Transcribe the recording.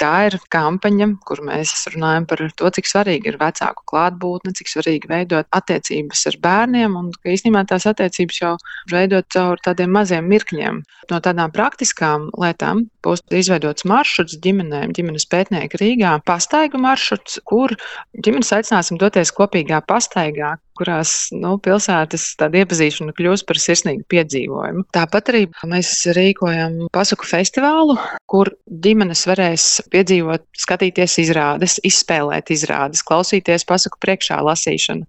tā ir kampaņa, kur mēs runājam par to, cik svarīgi ir vecāku klātbūtne, cik svarīgi veidot attiecības ar bērniem, un ka īstenībā tās attiecības jau veidot caur tādiem maziem mirkļiem. No tādām praktiskām lietām būs izveidots maršruts ģimenēm, ģimenes pētnieki Rīgā, pastaigu maršruts, kur ģimenes aicināsim doties kopīgā pastaigā, kurās pilsētas tāda iepazīšana kļūst par sirsnīgu piedzīvojumu. Tāpat arī mēs rīkojam pasaku festivālu, kur ģimenes varēs piedzīvot, skatīties izrādes, izspēlēt izrādes, klausīties pasaku priekšā lasīšanu.